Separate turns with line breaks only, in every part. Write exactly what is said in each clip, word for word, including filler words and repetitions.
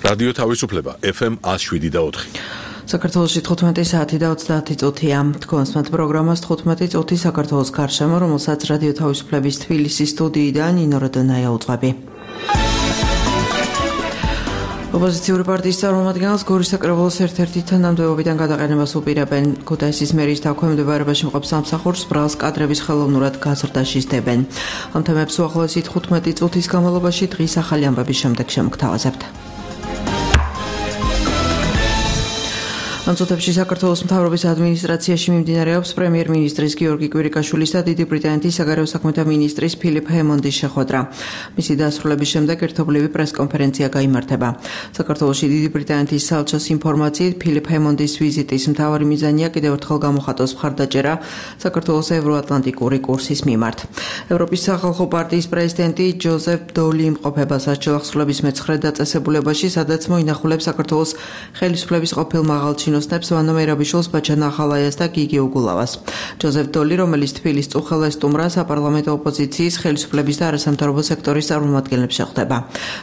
რადიო თავისუფლება ეფ ემ one oh seven და four.
საქართველოში თხუთმეტი საათი და ოცდაათი წუთია. თქვენს მათ პროგრამას თხუთმეტი წუთი საქართველოს გარშემო, რომელსაც რადიო თავისუფლების თბილისის სტუდიიდან ნინო როდონაია უძღვები. ოპოზიციური პარტიის წარმომადგენელს გორის საკრებულოს ერთ-ერთი თანამდებობიდან გადაყენებას უპირებენ. ქუთაისის მერის დაქვემდებარებაში მყოფ სამსახურს ბრალს კადრების ხელოვნურად გაზრდაში სდებენ. ამ თემებს უახლოესი თხუთმეტი წუთის განმავლობაში დღის ახალი ამბების შემდეგ შემოგთავაზებთ. ამ წუთებში საქართველოს მთავრობის ადმინისტრაციაში მიმდინარეობს პრემიერ-მინისტრის გიორგი კვირიკაშვილის და დიდი ბრიტანეთის საგარეო საქმეთა მინისტრის ფილიპ ჰემონდის შეხვედრა. მისი დასრულების შემდეგ ერთობლივი პრესკონფერენცია გაიმართება. საქართველოში დიდი ბრიტანეთის საელჩოს ინფორმაციით ფილიპ ჰემონდის ვიზიტის მთავარი მიზანია კიდევ ერთხელ გამოხატოს მხარდაჭერა საქართველოს ევროატლანტიკური კურსის მიმართ. ევროპის სახალხო პარტიის პრეზიდენტი ჯოზეფ დოლი იმყოფება სასჯელახსრულების მეცხრე დაწესებულებაში, სადაც მოინახულებს საქართველოს ხელისუფლების ყოფილ მაღალჩინოს ვანო მერაბიშვილს, ბაჩან ახალაიას და გიგი უგულავას. ჯოზეფ დოლი, რომელიც თბილის წუხელ ესტუმრა საპარლამენტო ოპოზიციის, ხელისუფლების და არასამთავრობო სექტორის წარმომადგენლებს შეხვდება.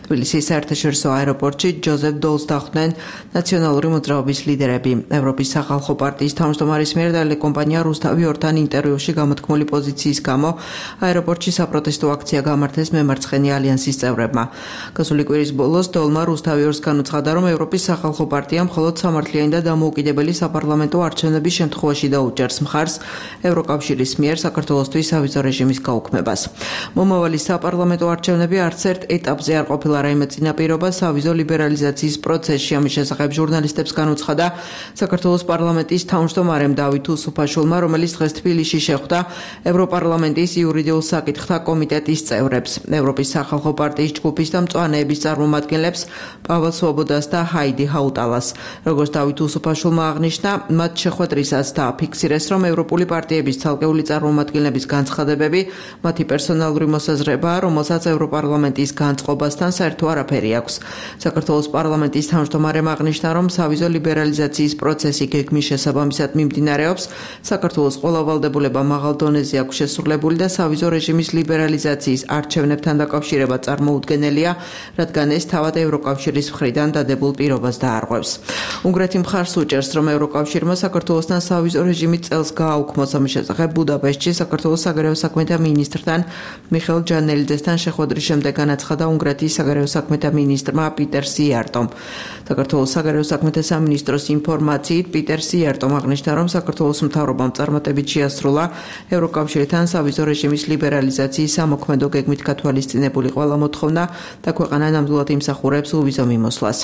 თბილისის საერთაშორისო აეროპორტში ჯოზეფ დოლს დახვდნენ ნაციონალური მოძრაობის ლიდერები. ევროპის სახალხო პარტიის თავმჯდომარის მიერ ტელეკომპანია რუსთავი ორთან ინტერვიუში გამოთქმული პოზიციის გამო აეროპორტში საპროტესტო აქცია გამართეს მემარცხენე ალიანსის წევრებმა. გასული კვირის ბოლოს დოლმა რუსთავი ორს განუცხადა, რომ ევროპის სახალხო პარტია მხოლოდ სამართლიანი და დამოუკიდებელი საპარლამენტო არჩევნების შემთხვევაში დაუჭერს მხარს ევროკავშირის მიერ საქართველოსთვის სავიზო რეჟიმის გაუქმებას. მომავალი საპარლამენტო არჩევნები არც ერთ ეტაპზე არ ყოფილა რაიმე წინაპირობა სავიზო ლიბერალიზაციის პროცესში. ამის შესახებ ჟურნალისტებს განუცხადა საქართველოს პარლამენტის თავმჯდომარემ დავით უსუფაშვილმა, რომელიც დღეს თბილისში შეხვდა ევროპარლამენტის იურიდიულ საკითხთა კომიტეტის წევრებს, ევროპის სახალხო პარტიის ჯგუფის და მწვანეების წარმომადგენლებს, პავალ სვობოდას და ჰაიდი ჰაუტალას. როგორც დავით უსუფაშვილმა აღნიშნა, მათ შეხვედრისას დააფიქსირეს, რომ ევროპული პარტიების ცალკეული წარმომადგენლების განცხადებები მათი პერსონალური მოსაზრებაა, რომელსაც ევროპარლამენტის განწყობასთან საერთო არაფერი აქვს. საქართველოს პარლამენტის თავმჯდომარემ აღნიშნა, რომ სავიზო ლიბერალიზაციის პროცესი გეგმის შესაბამისად მიმდინარეობს. საქართველოს ყველა ვალდებულება მაღალ დონეზე აქვს შესრულებული და სავიზო რეჟიმის ლიბერალიზაციის არჩევნებთან დაკავშირება წარმოუდგენელია, რადგან ეს თავად ევროკავშირის მხრიდან დადებულ პირობას დაარღვევს. უნგრეთი მხარს უჭერს, რომ ევროკავშირმა საქართველოსთან სავიზო რეჟიმი წელს გააუქმოს. ამის შესახებ ბუდაპეშტში საქართველოს საგარეო საქმეთა მინისტრთან მიხეილ ჯანელიძესთან შეხვედრის შემდეგ განაცხადა უნგრეთის საგარეო საქმეთა მინისტრმა პიტერ სიარტომ. საქართველოს საგარეო საქმეთა სამინისტროს ინფორმაციით პიტერ სიარტომ აღნიშნა, რომ საქართველოს მთავრობამ წარმატებით შეასრულა ევროკავშირთან სავიზო რეჟიმის ლიბერალიზაციის სამოქმედო გეგმით გათვალისწინებული ყველა მოთხოვნა და ქვეყანა ნამდვილად იმსახურებს უვიზო მიმოსვლას.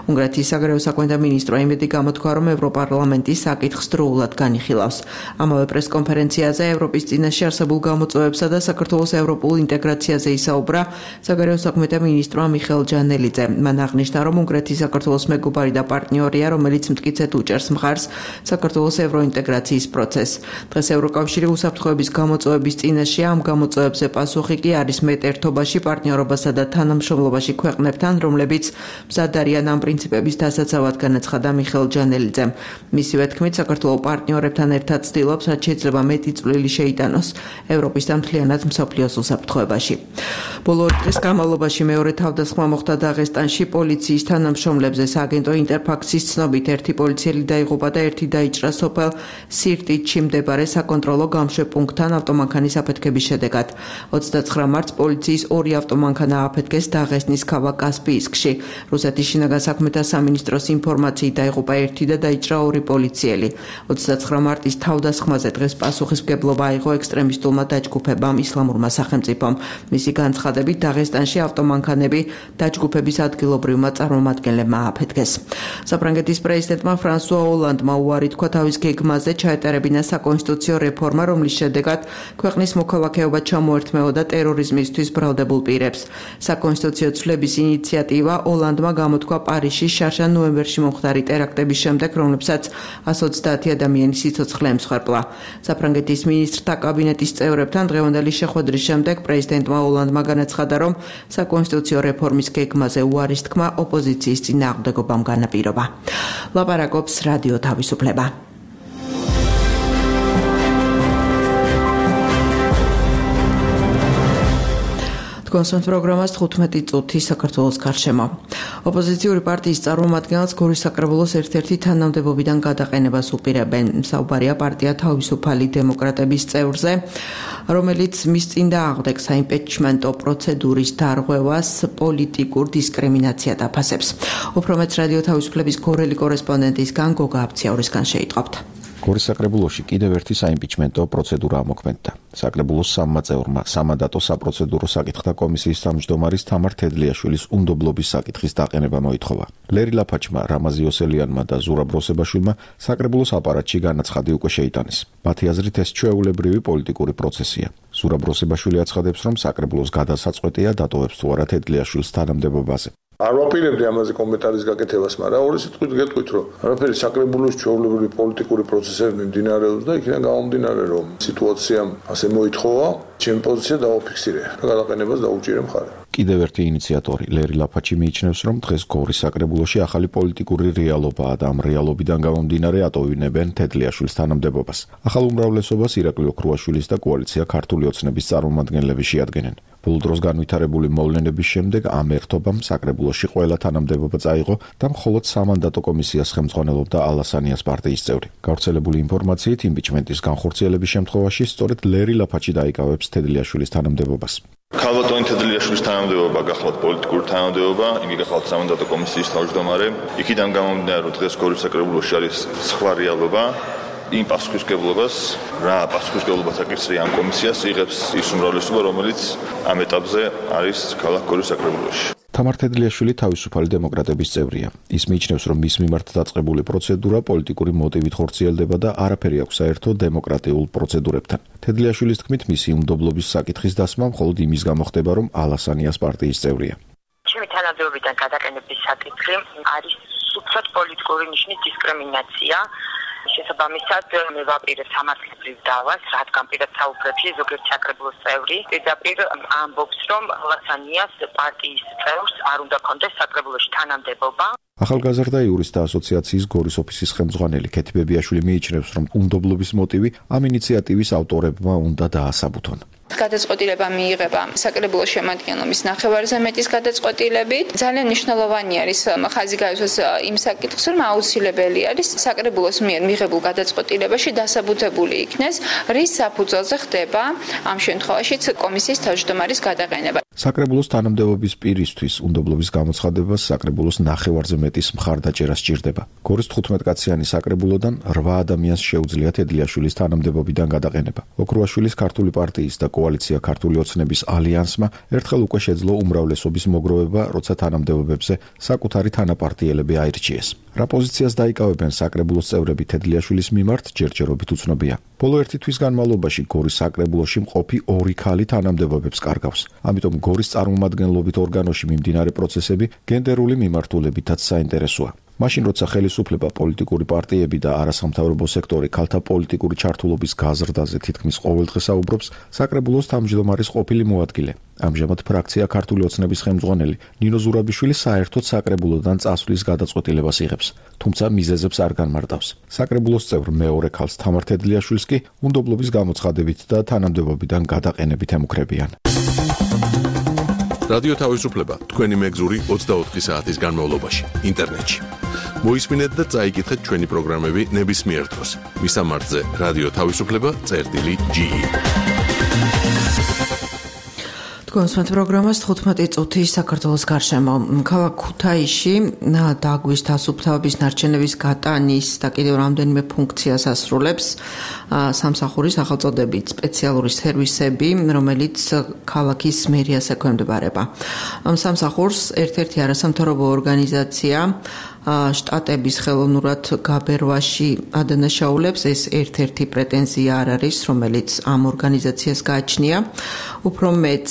უნგრეთის საგარეო საქმეთა მინისტრმა იმედი გამოთქვა, რომ ევროპარლამენტი საკითხს დროულად განიხილავს. ამავე პრესკონფერენციაზე ევროპის წინაშე არსებულ გამოწვევებსა და საქართველოს ევროპულ ინტეგრაციაზე ისაუბრა საგარეო საქმეთა მინისტრმა მიხეილ ჯანელიძე. მან აღნიშნა, რომ უნგრეთი საქართველოს მეგობარი და პარტნიორია, რომელიც მტკიცედ უჭერს მხარს საქართველოს ევროინტეგრაციის პროცესს. დღეს ევროკავშირი უსაფრთხოების გამოწვევების წინაშეა. ამ გამოწვევებზე პასუხი კი არის მეტ ერთობაში, პარტნიორობასა და თანამშრომლობაში ქვეყნებთან, რომლებიც მზად არიან ამ პრინციპების დასაცავად, განაცხადა მიხეილ ჯანელიძემ. მისივე თქმით, საქართველოს პარტნიორებთან ერთად ცდილობს, რაც შეიძლება მეტი წვლილი შეიტანოს ევროპის და მთლიანად მსოფლიოს უსაფრთხოებაში. ბოლო დღის განმავლობაში მეორე თავდასხმა მოხდა დაღესტანში პოლიციის თანამშრომლებზე. სააგენტო ინტერფაქსის ცნობით ერთი პოლიციელი დაიღუპა და ერთი დაიჭრა სოფელ სირტიჩში მდებარე საკონტროლო გამშვებპუნქტთან ავტომანქანის აფეთქების შედეგად. ოცდაცხრა მარტს პოლიციის ორი ავტომანქანა აფეთქეს დაღესტნის ქავა კასპიისკში. რუსეთის შინაგან საქმეთა სამინისტროს ინფორმაციით დაიღუპა ერთი და დაიჭრა ორი პოლიციელი. ოცდაცხრა მარტის თავდასხმაზე დღეს პასუხისმგებლობა აიღო ექსტრემისტულმა დაჯგუფებამ ისლამურმა სახელმწიფომ. მისი განცხადებით დაღესტანში ავტომანქანები დაჯგუფების ადგილობრივმა წარმომადგენლებმა აფეთქეს. საფრანგეთის პრეზიდენტმა ფრანსუა ოლანდმა უარი თქვა თავის გეგმაზე ჩაეტარებინა საკონსტიტუციო რეფორმა, რომლის შედეგად ქვეყნის მოქალაქეობა ჩამოერთმეოდა ტერორიზმისთვის ბრალდებულ პირებს. საკონსტიტუციო ცვლების ინიციატივა ოლანდმა გამოთქვა პარიზში შარშან ნოემბერში მომხდარი ტერაქტების შემდეგ, რომლებსაც one hundred twenty ადამიანის სიცოცხლე ემსხვერპლა. საფრანგეთის მინისტრთა კაბინეტის წევრებთან დღევანდელი შეხვედრის შემდეგ პრეზიდენტმა ოლანდმა განაცხადა, რომ საკონსტიტუციო რეფორმის გეგმაზე უარის თქმა ოპოზიციის წინააღმდეგობამ განაპირობა. ლაპარაკობს რადიო თავისუფლება. კონსულტ პროგრამას თხუთმეტი წუთი საქართველოს გარშემო. ოპოზიციური პარტიის წარმომადგენლს გორის საკრებულოს ერთ-ერთი თანამდებობიდან გადაყენებას უპირებენ. საუბარია პარტია თავისუფალი დემოკრატების წევრზე, რომელიც მის წინდა აღდებს საიმპიჩმენტო პროცედურის დარღვევას პოლიტიკურ დისკრიმინაციად აფასებს. უფრო მეც რადიო თავისუფლების გორელი კორესპონდენტისგან გოგა აფციაურისგან შეიტყობთ.
გორის საკრებულოში კიდევ ერთი საიმპიჩმენტო პროცედურა ამოქმედდა. საკრებულოს სამმა წევრმა სამანდატო საპროცედურო საკითხთა კომისიის თავმჯდომარის თამარ თედლიაშვილის უნდობლობის საკითხის დაყენება მოითხოვა. ლერი ლაფაჩმა, რამაზი ოსელიანმა და ზურაბ როსებაშვილმა საკრებულოს აპარატში განაცხადი უკვე შეიტანეს. მათი აზრით ეს ჩვეულებრივი პოლიტიკური პროცესია. ზურაბ როსებაშვილი აცხადებს, რომ საკრებულოს გადასაწყვეტია დატოვებს თუ არა თედლიაშვილს თანამდებობაზე.
არ ვაპირებდი ამაზე კომენტარის გაკეთებას, მაგრამ ორი სიტყვით გეტყვით, რომ არაფერი საკრებულოს ჩვეულებრივი პოლიტიკური პროცესები მიმდინარეობს და იქიდან გამომდინარე, რომ სიტუაციამ ასე მოითხოვა, ჩემი პოზიცია დავაფიქსირე და გადაყენებას დაუჭირე მხარე.
კიდევ ერთი ინიციატორი, ლერი ლაფაჩი მიიჩნევს, რომ დღეს გორის საკრებულოში ახალი პოლიტიკური რეალობაა და ამ რეალობიდან გამომდინარე ატოვებენ თედლიაშვილის თანამდებობას. ახალ უმრავლესობას ირაკლი ოქრუაშვილის და კოალიცია ქართული ოცნების წარმომადგენლები შეადგენენ. ბოლო დროს განვითარებული მოვლენების შემდეგ ამ ერთობამ საკრებულოში ყველა თანამდებობა წაიღო და მხოლოდ სამანდატო კომისიას ხელმძღვანელობდა ალასანიას პარტიის წევრი. გავრცელებული ინფორმაციით, იმპიჩმენტის განხორციელების შემთხვევაში სწორედ ლერი ლაფაჩი დაიკავებს თედლიაშვილის თანამდებობას.
ქალბატონი თედლიაშვილის თანამდებობა გახლავთ პოლიტიკური თანამდებობა, იგი გახლავთ სამანდატო კომისიის თავმჯდომარე. იქიდან გამომდინარე, რომ დღეს გორის საკრებულოში არის სხვა რეალობა. იმ პასუხისმგებლობას, რა პასუხისმგებლობას აკისრია ამ კომისიას, იღებს ის უმრავლესობა, რომელიც ამ ეტაპზე არის ქალაქ გორის საკრებულოში.
თამარ თედლიაშვილი თავისუფალი დემოკრატების წევრია. ის მიიჩნევს, რომ მის მიმართ დაწყებული პროცედურა პოლიტიკური მოტივით ხორციელდება და არაფერი აქვს საერთო დემოკრატიულ პროცედურებთან. თედლიაშვილის თქმით, მისი უნდობლობის საკითხის დასმა მხოლოდ იმის გამო ხდება, რომ ალასანიას პარტიის წევრია.
ჩემი თანამდებობიდან გადაყენების საკითხი არის სუფთად პოლიტიკური ნიშნის დისკრიმინაცია. შესაბამისად, მე ვაპირებ სამართლებრივ დავას, რადგან პირად საუბრებში ზოგიერთი საკრებულოს წევრი პირდაპირ ამბობს, რომ ალასანიას პარტიის წევრს არ უნდა კონდეს საკრებულოში თანამდებობა.
ახალგაზრდა იურისტთა ასოციაციის გორის ოფისის ხელმძღვანელი ქეთი ბებიაშვილი მიიჩნევს, რომ უნდობლობის მოტივი ამ ინიციატივის ავტორებმა უნდა დაასაბუთონ.
გადაწყვეტილება მიიღება საკრებულოს შემადგენლობის ნახევარზე მეტის გადაწყვეტილებით. ძალიან მნიშვნელოვანი არის ხაზი გაისვას იმ საკითხს, რომ აუცილებელი არის საკრებულოს მიერ მიღებულ გადაწყვეტილებაში დასაბუთებული იქნეს, რის საფუძველზე ხდება ამ შემთხვევაშიც კომისიის თავმჯდომარის გადაყენება.
საკრებულოს თანამდებობის პირისთვის უნდობლობის გამოცხადებას საკრებულოს ნახევარზე მეტის მხარდაჭერა სჭირდება. გორის თხუთმეტკაციანი საკრებულოდან რვა ადამიანს შეუძლია თედლიაშვილის თანამდებობიდან გადაყენება. ოქრუაშვილის ქართული პარტიის და კოალიცია ქართული ოცნების ალიანსმა ერთხელ უკვე შეძლო უმრავლესობის მოგროვება, როცა თანამდებობებზე საკუთარი თანაპარტიელები აირჩიეს. რა პოზიციას დაიკავებენ საკრებულოს წევრები თედლიაშვილის მიმართ, ჯერჯერობით უცნობია. ბოლო ერთი თვის განმავლობაში გორის საკრებულოში მყოფი ორი ქალი თანამდებობებს კარგავს. ამიტომ გორის წარმომადგენლობით ორგანოში მიმდინარე პროცესები გენდერული მიმართულებითაც საინტერესოა. მაშინ როცა ხელისუფლება, პოლიტიკური პარტიები და არასამთავრობო სექტორი ქალთა პოლიტიკური ჩართულობის გაზრდაზე თითქმის ყოველდღე საუბრობს, საკრებულოს თავმჯდომარის ყოფილი მოადგილე, ამჟამად ფრაქცია ქართული ოცნების ხელმძღვანელი ნინო ზურაბიშვილი საერთოდ საკრებულოდან წასვლის გადაწყვეტილებას იღებს, თუმცა მიზეზებს არ განმარტავს. საკრებულოს წევრ მეორე ქალს თამარ თედლიაშვილს კი უნდობლობის გამოცხადებით და თანამდებობიდან გადაყენებით ემუქრებიან.
რადიო თავისუფლება თქვენი მეგზური ოცდაოთხი საათის განმავლობაში ინტერნეტში. მოისმინეთ და წაიკითხეთ ჩვენი პროგრამები ნებისმიერ დროს. მისამართზე რადიო თავისუფლება წერტილი ჯი ი.
კონსულტ პროგრამას თხუთმეტი წუთი საქართველოს გარშემო. ქალაქ ქუთაისში დაგვის თასუფთავების ნარჩენების გატანის და კიდევ რამდენიმე ფუნქციას ასრულებს სამსახურის სახელწოდებით სპეციალური სერვისები, რომელიც ქალაქის მერიას ექვემდებარება. ამ სამსახურს ერთ-ერთი არასამთავრობო ორგანიზაცია შტატების ხელოვნურად გაბერვაში ადანაშაულებს. ეს ერთ-ერთი პრეტენზია არ არის, რომელიც ამ ორგანიზაციას გააჩნია. უფრო მეც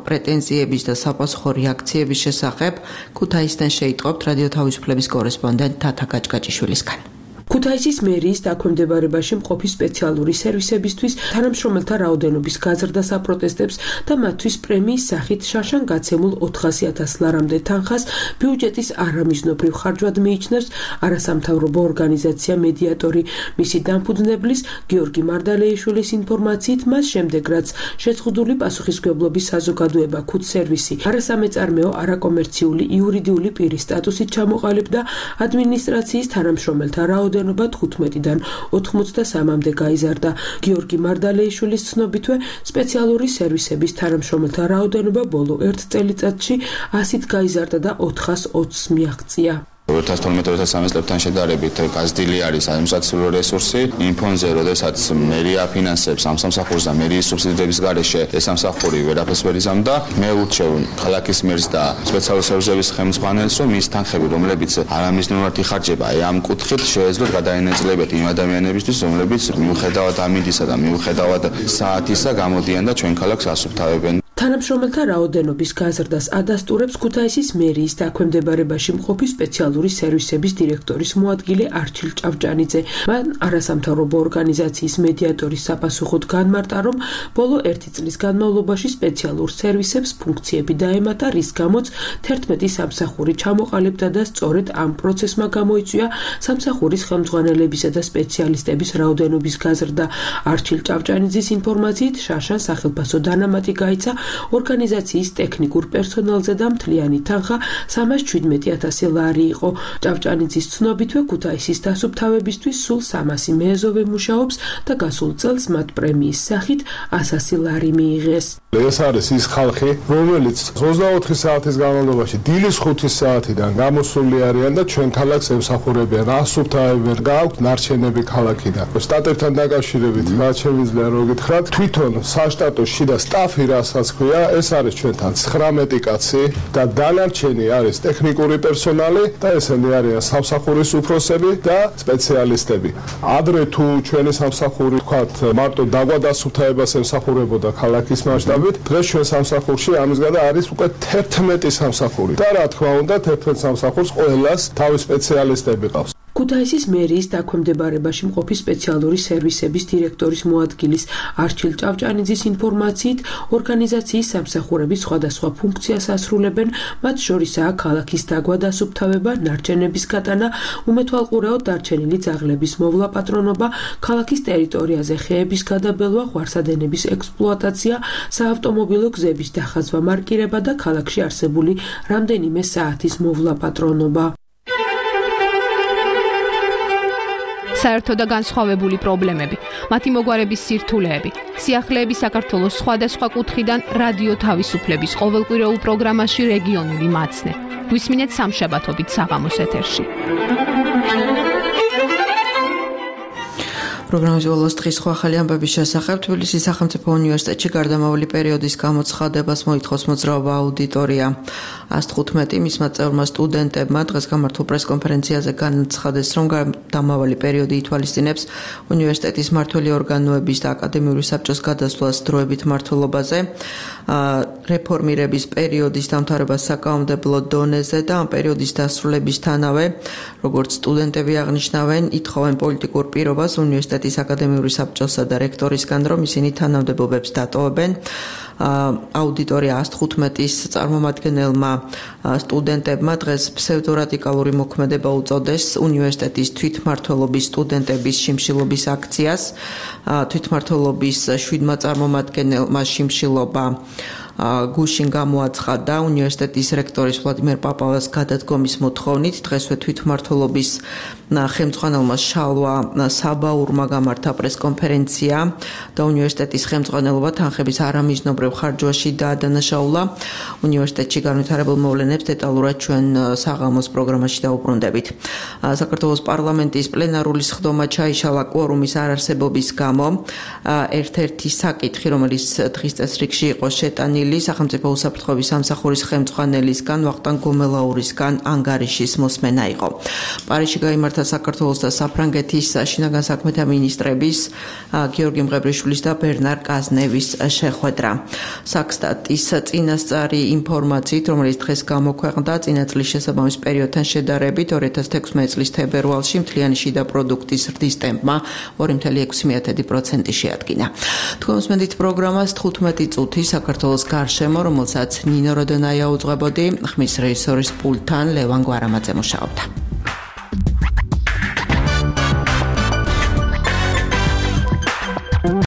პრეტენზიების და საპასუხო რეაქციების შესახებ ქუთაისიდან შეიტყობთ რადიო თავისუფლების კორესპონდენტ თათა გაჭგაჭიშვილისგან.
ქუთაისის მერიის დაქვემდებარებაში მყოფი სპეციალური სერვისებისთვის თანამშრომელთა რაოდენობის გაზრდა საპროტესტებს და მათთვის პრემიის სახით შარშან გაცემულ ოთხასი ათას ლარამდე თანხას ბიუჯეტის არამიზნობრივ ხარჯვად მიიჩნევს არასამთავრობო ორგანიზაცია მედიატორი. მისი დამფუძნებლის გიორგი მარდალეიშვილის ინფორმაციით მას შემდეგ რაც შეწყვეტილი პასუხისმგებლობის საზოგადოება ქუთსერვისი არასამეწარმეო არაკომერციული იურიდიული პირის სტატუსით ჩამოყალიბდა ადმინისტრაციის თანამშრომელთა რაოდენობა თხუთმეტიდან ოთხმოცდასამამდე გაიზარდა. გიორგი მარდალეიშვილის ცნობითვე სპეციალური სერვისების თანამშრომელთა რაოდენობა ბოლო ერთ წელიწადში ასით გაიზარდა და ოთხას ოცს მიაღწია.
two thousand twelve two thousand thirteen წლებთან შედარებით გაზრდილი არის ადმინისტრაციული რესურსი იმ ფონზე, როდესაც მერია აფინანსებს ამ სამსახურს და მერიის სუბსიდირების გარეშე ეს სამსახური ვერაფერს ვერ იზამდა. მე ურჩევ ქალაქის მერს და სპეციალური სერვისების ხელმძღვანელს, რომ ის თანხები, რომლებიც არამიზნეულად იხარჯება აი ამ კუთხით, შეეძლოთ გადაინაწილებათ იმ ადამიანებისთვის, რომლებიც მიუხედავად ამინდისა და მიუხედავად საათისა გამოდიან და ჩვენ ქალაქს ასუფთავებენ.
თანამშრომელთა რაოდენობის გაზრდას ადასტურებს ქუთაისის მერიის დაქვემდებარებაში მყოფი სპეციალური სერვისების დირექტორის მოადგილე არჩილ ჭავჭანიძე. მან არასამთავრობო ორგანიზაციის მედიატორის საპასუხოდ განმარტა, რომ ბოლო ერთი წლის განმავლობაში სპეციალურ სერვისებს ფუნქციები დაემატა, რის გამოც თერთმეტი სამსახური ჩამოყალიბდა და სწორედ ამ პროცესმა გამოიწვია სამსახურის ხელმძღვანელებისა და სპეციალისტების რაოდენობის გაზრდა. არჩილ ჭავჭანიძის ინფორმაციით შარშან სახელმწიფო დანამატი გაიცა ორგანიზაციის ტექნიკურ პერსონალზე და მთლიანი თანხა სამას შვიდმეტი ათასი ლარი იყო. ჭავჭანიძის ცნობითვე ქუთაისის დასუფთავებისთვის სულ სამასი მეეზოვე მუშაობს და გასულ წელს მათ პრემიის სახით ასასი ლარი მიიღეს.
ეს არის ის ხალხი, რომელიც ოცდაოთხი საათის განმავლობაში დილის ხუთი საათიდან გამოსული არიან და ჩვენ ქალაქს ემსახურებიან, ასუფთავებენ, გააქვთ ნარჩენები ქალაქიდან. სტატებთან დაკავშირებით რაც შემიძლია რომ გითხრათ, თვითონ საშტატო შიდა სტაფი რასაც ქვია, ეს არის ჩვენთან ცხრამეტი კაცი და დანარჩენი არის ტექნიკური პერსონალი და ესენი არიან სამსახურის უფროსები და სპეციალისტები. ადრე თუ ჩვენი სამსახური თქვათ მარტო დაგვადასუფთავებას ემსახურებოდა ქალაქის მასშტაბით, დღეს ჩვენ სამსახურში ამის გარდა არის უკვე თერთმეტი სამსახური და რა თქმა უნდა თერთმეტ სამსახურს ყველას თავის სპეციალისტები ყავს.
ქუთაისის მერიის დაქვემდებარებაში მყოფი სპეციალური სერვისების დირექტორის მოადგილის არჩილ ჭავჭანიძის ინფორმაციით ორგანიზაციის სამსახურების სხვადასხვა ფუნქციას ასრულებენ, მათ შორისაა ქალაქის დაგვადასუფთავება, ნარჩენების გატანა, უმეთვალყურეოდ დარჩენილი ძაღლების მოვლა პატრონობა, ქალაქის ტერიტორიაზე ხეების გადაბელვა, ღვარსადენების ექსპლუატაცია, საავტომობილო გზების დახაზვა, მარკირება და ქალაქში არსებული რამდენიმე საათის მოვლა პატრონობა.
საერთო და განსხვავებული პრობლემები, მათი მოგვარების სირთულეები, სიახლეები საქართველოს სხვადასხვა კუთხიდან რადიო თავისუფლების ყოველკვირეულ პროგრამაში რეგიონული მაცნე. გვისმინეთ სამშაბათობით საღამოს ეთერში.
პროგრამის ბოლოს დღის სხვა ახალი ამბების შესახებ თბილისის სახელმწიფო უნივერსიტეტში გარდამავალი პერიოდის გამოცხადებას მოითხოვს მოძრაობა აუდიტორია. ას თხუთმეტი მისმა წევრმა სტუდენტებმა დღეს გამართულ პრესკონფერენციაზე განაცხადეს, რომ გარდამავალი პერიოდი ითვალისწინებს უნივერსიტეტის მმართველი ორგანოების და აკადემიური საბჭოს გადასვლას დროებით მმართველობაზე, რეფორმირების პერიოდის დამთავრებას საკანონმდებლო დონეზე და ამ პერიოდის დასრულებისთანავე, როგორც სტუდენტები აღნიშნავენ, ითხოვენ პოლიტიკურ პირობას უნივერსიტეტის აკადემიური საბჭოსა და რექტორისგან, რომ ისინი თანამდებობებს დატოვებენ. აუდიტორია ას თხუთმეტის წარმომადგენელმა სტუდენტებმა დღეს ფსევდორადიკალური მოქმედება უწოდეს უნივერსიტეტის თვითმმართველობის სტუდენტების შიმშილობის აქციას. თვითმმართველობის შვიდმა წარმომადგენელმა შიმშილობა გუშინ გამოაცხადა უნივერსიტეტის რექტორის ვლადიმერ პაპალას გადადგომის მოთხოვნით. დღესვე თვითმმართველობის ხელმძღვანელმა შალვა საბაურმა გამართა პრესკონფერენცია და უნივერსიტეტის ხელმძღვანელობა თანხების არამიზნობრივ ხარჯვაში დაადანაშაულა. უნივერსიტეტში განვითარებულ მოვლენებს დეტალურად ჩვენ საღამოს პროგრამაში დავუბრუნდებით. საქართველოს პარლამენტის პლენარული სხდომა ჩაიშალა კვორუმის არარსებობის გამო. ერთ-ერთი საკითხი, რომელიც დღის წესრიგში იყო შეტანილი, განხილული სახელმწიფო უსაფრთხოების სამსახურის ხელმძღვანელისგან ვახტანგ გომელაურისგან ანგარიშის მოსმენა იყო. პარიზში გაიმართა საქართველოს და საფრანგეთის შინაგან საქმეთა მინისტრების გიორგი მღებრიშვილის და ბერნარ კაზნევის შეხვედრა. საქსტატის წინასწარი ინფორმაციით, რომელიც დღეს გამოქვეყნდა, წინა წლის შესაბამის პერიოდთან შედარებით ორი ათას თექვსმეტი წლის თებერვალში მთლიანი შიდა პროდუქტის ზრდის ტემპმა ორი კoma ექვსი პროცენტი შეადგინა. თქვენ უსმენთ პროგრამას თხუთმეტი წუთი საქართველოს გარშემო, რომელსაც ნინო როდონაია უძღვებოდი, ხმის რეჟისორის პულტთან ლევან გვარამაძე მუშაობდა.